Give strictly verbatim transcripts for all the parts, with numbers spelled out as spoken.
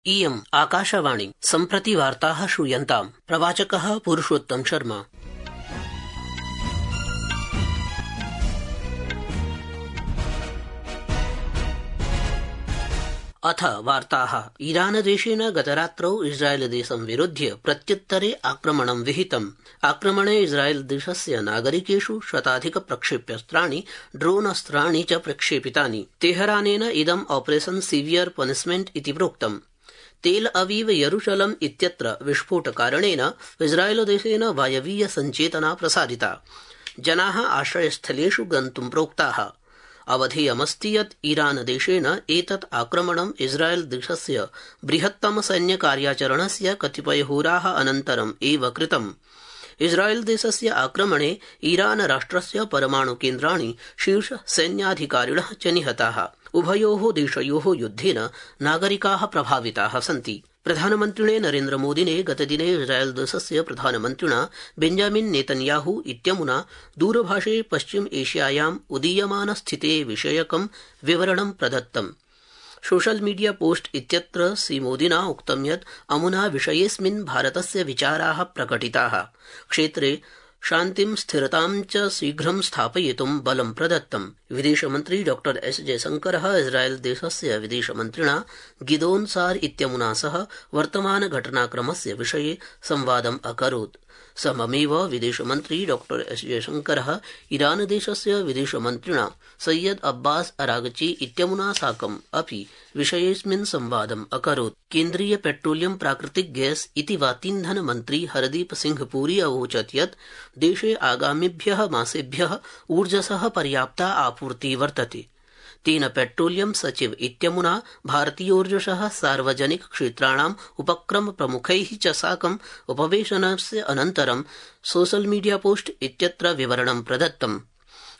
इयम् आकाशवाणी सम्प्रति वार्ताः श्रूयन्ताम्। प्रवाचकः पुरुषोत्तम शर्मा। अथ वार्ताः। ईरानदेशेन गतरात्रौ इस्राएलदेशं विरुध्य प्रत्युत्तरे आक्रमणं विहितम्। आक्रमणे इस्राएलदेशस्य नागरिकेषु शताधिक प्रक्षेप्यास्त्राणि ड्रोनास्त्राणि च प्रक्षेपितानि। तेहरानेन इदम् ऑपरेशन सीवियर पनिशमेंट इति प्रोक्तम्। तेल अवीव यरूशलम इत्यत्र विस्फोटकारणेन इस्राएलदेशेन वायवीय सञ्चेतना प्रसारिता। जनाः आश्रयस्थलेषु गन्तुं प्रोक्ताः। अवधेयमस्ति यत् ईरानदेशेन एतत् आक्रमणम् इस्राएलदेशस्य बृहत्तम सैन्यकार्याचरणस्य कतिपयहोराः अनन्तरम् एव कृतम्। इस्राएलदेशस्य आक्रमणे ईरान राष्ट्रस्य परमाणुकेन्द्राणि शीर्ष सैन्याधिकारिणः च निहताः। उभयोः देशयोः युद्धेन नागरिकाः प्रभाविताः सन्ति। प्रधानमन्त्रिणे नरेन्द्रमोदिने गतदिने इस्राएलदेशस्य प्रधानमन्त्रिणा बेंजामिन नेतन्याहू इत्यमुना दूरभाषे पश्चिम एशियायाम् उदीयमान स्थिते विषयकं विवरणं प्रदत्तम्। सोशल मीडिया पोस्ट इत्यत्र श्रीमोदिना उक्तं यत् अमुना विषयेऽस्मिन् भारतस्य विचाराः प्रकटिताः। क्षेत्रे शान्तिं स्थिरतां च शीघ्रं स्थापयितुं बलं प्रदत्तम्। विदेशमन्त्री डॉ एस जयशंकरः इस्राएलदेशस्य विदेशमन्त्रिणा गिदोन सार इत्यमुना सह वर्तमान घटनाक्रमस्य विषये संवादम् अकरोत्। सममेव विदेशमन्त्री डॉ एस जयशंकरः ईरानदेशस्य विदेशमन्त्रिणा सैयद अब्बास अरागची इत्यमुना साकम् अपि विषयेऽस्मिन् संवादम् अकरोत्। केन्द्रीय पेट्रोलियम प्राकृतिक गैस इति वातीन्धन मन्त्री हरदीप सिंह पुरी अवोचत् यत् देशे आगामिभ्यः मासेभ्यः ऊर्जसः पर्याप्ता आपूर्तिः वर्तते। तेन पेट्रोलियम सचिव इत्यमुना भारतीयोर्जसः सार्वजनिक क्षेत्राणाम् उपक्रम प्रमुखैः च साकम् उपवेशनस्य अनन्तरं सोशल मीडिया पोस्ट इत्यत्र विवरणं प्रदत्तम्।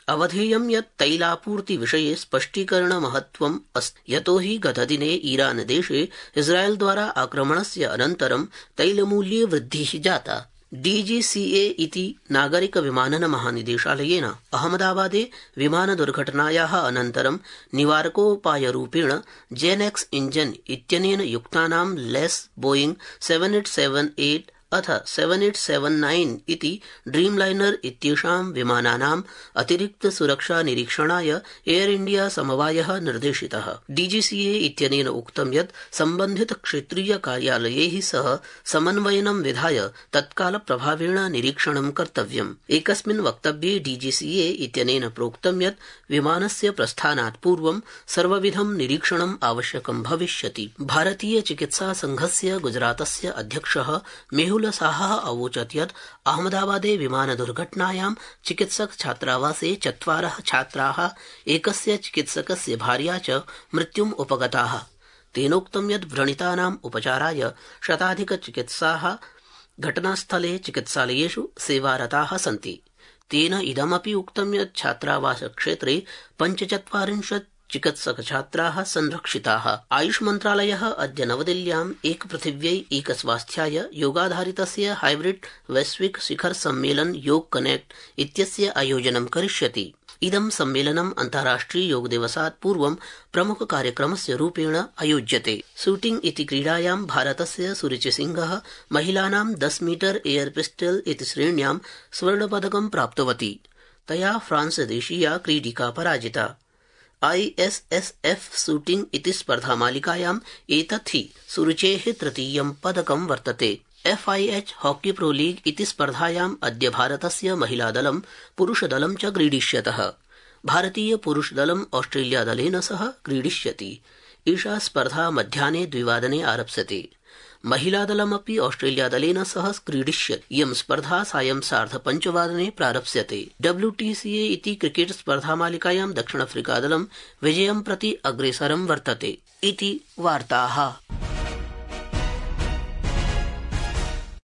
अवधेयं यत् तैलापूर्ति विषये स्पष्टीकरण महत्वम् अस्ति। यतो हि गतदिने ईरानदेशे इस्राएलद्वारा आक्रमणस्य अनन्तरं तैलमूल्ये वृद्धिः जाता। डीजीसीए इति नागरिक विमानन महानिदेशालयेन अहमदाबादे विमानदुर्घटनायाः अनन्तरं निवारकोपायरूपेण जेनेक्स इंजन इत्यनेन युक्तानां लेस Boeing seven eight seven eight अथ सेवन एट सेवन नाइन इति ड्रीमलाइनर इत्येषां विमानानाम् अतिरिक्त सुरक्षा निरीक्षणाय एयर इंडिया समवायः निर्देशितः। डीजीसीए इत्यनेन उक्तं यत् सम्बन्धित क्षेत्रीय कार्यालयैः सह समन्वयनं विधाय तत्काल प्रभावेण निरीक्षणं कर्तव्यम्। एकस्मिन् वक्तव्ये डीजीसीए इत्यनेन प्रोक्तं यत् विमानस्य प्रस्थानात् पूर्वं सर्वविधं निरीक्षणम् आवश्यकं भविष्यति। भारतीय चिकित्सा संघस्य गुजरातस्य अध्यक्षः मेहुल साहः अवोचत् यत् अहमदाबादे विमान दुर्घटनायां चिकित्सक छात्रावासे चत्वारः छात्राः एकस्य चिकित्सकस्य भार्या च मृत्युम् उपगताः। तेनोक्तं यत् व्रणितानाम् उपचाराय शताधिक चिकित्साः घटनास्थले चिकित्सालयेषु सेवारताः सन्ति। तेन इदमपि उक्तं यत् छात्रावास क्षेत्रे पञ्चचत्वारिंशत् चिकित्सक छात्राः संरक्षिताः। आयुष मन्त्रालयः अद्य नवदिल्ल्याम् एक पृथिव्यै एक स्वास्थ्याय योगाधारितस्य हाइब्रिड वैश्विक शिखर सम्मेलन योग कनेक्ट इत्यस्य आयोजनं करिष्यति। इदं सम्मेलनम् अन्ताराष्ट्रिय योग दिवसात् पूर्वं प्रमुख कार्यक्रमस्य रूपेण आयोज्यते। शूटिंग इति क्रीडायां भारतस्य सुरुचि सिंहः महिलानां दस मीटर एयर पिस्टल इति श्रेण्यां स्वर्णपदकं प्राप्तवती। तया फ्रांस देशीया क्रीडिका पराजिता। आईएसएसएफ शूटिंग इति स्पर्धामालिकायाम् एतत् हि सुरुचेः तृतीयं पदकं वर्तते। एफआईएच हॉकी प्रो लीग इति स्पर्धायाम् अद्य भारतस्य महिलादलं पुरुषदलं च क्रीडिष्यतः। भारतीय पुरुषदलं ऑस्ट्रेलियादलेन सह क्रीडिष्यति। एषा स्पर्धा मध्याह्ने द्विवादने आरप्स्यते। महिलादलमपि ऑस्ट्रेलियादलेन सह क्रीडिष्यति। इयं स्पर्धा सायं सार्धपञ्चवादने प्रारप्स्यते। डब्ल्यूटीसीए इति क्रिकेट स्पर्धामालिकायां दक्षिणाफ्रिकादलं विजयं प्रति अग्रेसरं वर्तते। इति वार्ताः।